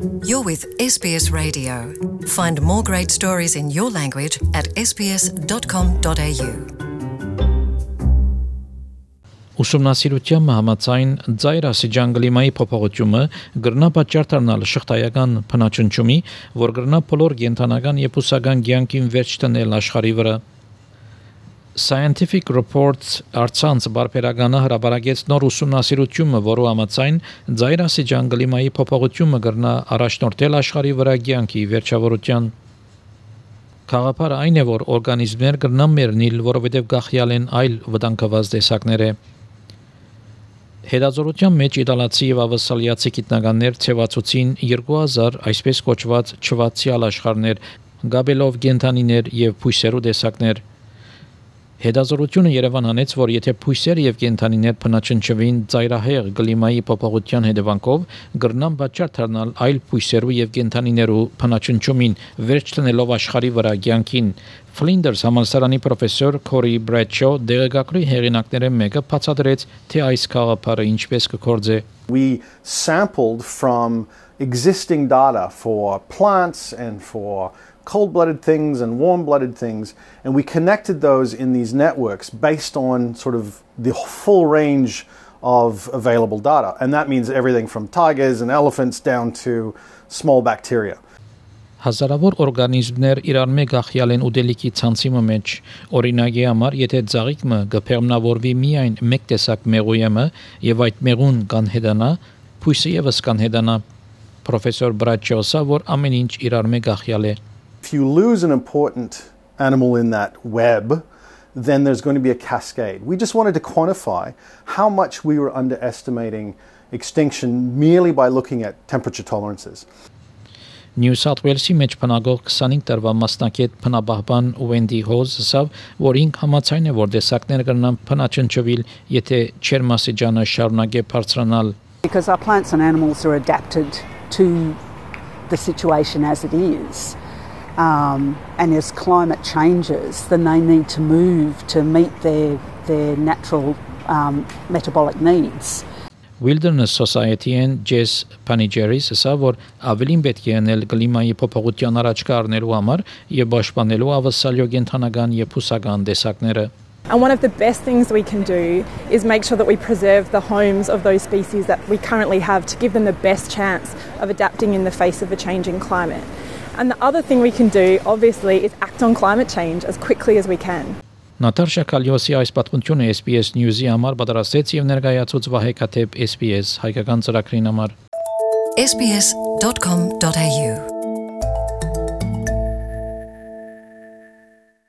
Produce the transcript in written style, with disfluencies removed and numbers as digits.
You're with SBS Radio. Find more great stories in your language at sbs.com.au. Ուսումնասիրության համաձայն ծայրասիջան կլիմայի փոփոխությունը կգրնա պատճառ դառնալ շղթայական փնաչնչումի, որ կգրնա բոլոր կենդանական եւ բուսական կյանքին վերջ տնել աշխարհի վրա։ Scientific Reports արցանց բարբերականը հրապարակեց նոր ուսումնասիրությունը, որը համաձայն ծայրասիջան կլիմայի փոփոխությունը կգրնա առաջնորդել աշխարհի վրա կյանքի վերջավորության։ Գաղափարը այն է, որ օրգանիզմներ կգրնան մեռնել, որովհետև գախյալ են այլ վտանգված տեսակներ։ Հետազոտության մեջ իտալացի եւ ավստրալիացի գիտնականներ ցեվացուցին 2000 այսպես կոչված չվացյալ աշխարհներ, գաբելով կենդանիներ եւ բույսերու տեսակներ։ Հետազոտությունը Երևան հանեց, որ եթե բույսեր եւ կենդանիներ փնաչնչվին ծայրահեղ կլիմայի փոփոխության հետևանքով, կգրնան պատճառ դառնալ այլ բույսերու եւ կենդանիներու փնաչնչումին, վերջ տնելով աշխարհի վրա կյանքին։ Flinders համալսարանի պրոֆեսոր Corey Bradshaw դեղեկագրի հեղինակները մեկը բացատրեց, թե այս գաղափարը ինչպես կգործե։ We sampled from existing data for plants and for cold-blooded things and warm-blooded things, and we connected those in these networks based on sort of the full range of available data. And that means everything from tigers and elephants down to small bacteria. Հազարավոր օրգանիզմներ իրար մեկ ախյալ են ուտելիքի ցանցի մեջ։ Օրինակի համար, եթե ծաղիկը կփերմնավորվի միայն մեկ տեսակ մեղույեմը եւ այդ մեղուն կանհետանա, բույսը եւս կանհետանա։ Պրոֆեսոր Բրաչոսը, որ ամեն ինչ իրար մեկ ախյալ է։ If you lose an important animal in that web, then there's going to be a cascade. We just wanted to quantify how much we were underestimating extinction merely by looking at temperature tolerances. New South Wales-ի մեջ բնակող 25 տարվա մասնակետ բնաբահբան Wendy Hose ասավ, որ ինք համաձայն է, որ տեսակներ կգրնան փնաչնչվել, եթե ջերմասիջանը շարունակե բարձրանալ. Because our plants and animals are adapted to the situation as it is. And as climate changes, then they need to move to meet their natural metabolic needs. Wilderness Society-ն Jess Panigeris ասա, որ ավելին պետք է անել կլիմայի փոփոխության առաջ կառնելու համար եւ պաշտպանելու ավսալյո կենթանական եւ բուսական տեսակները. And one of the best things we can do is make sure that we preserve the homes of those species that we currently have to give them the best chance of adapting in the face of a changing climate. And the other thing we can do, obviously, is act on climate change as quickly as we can. Նատարշա Կալյոսի այս պատմությունը SBS News-ի համար պատրաստեց եւ ներկայացուց Վահե Կաթեփ SBS հայկական ծրագրին համար sbs.com.au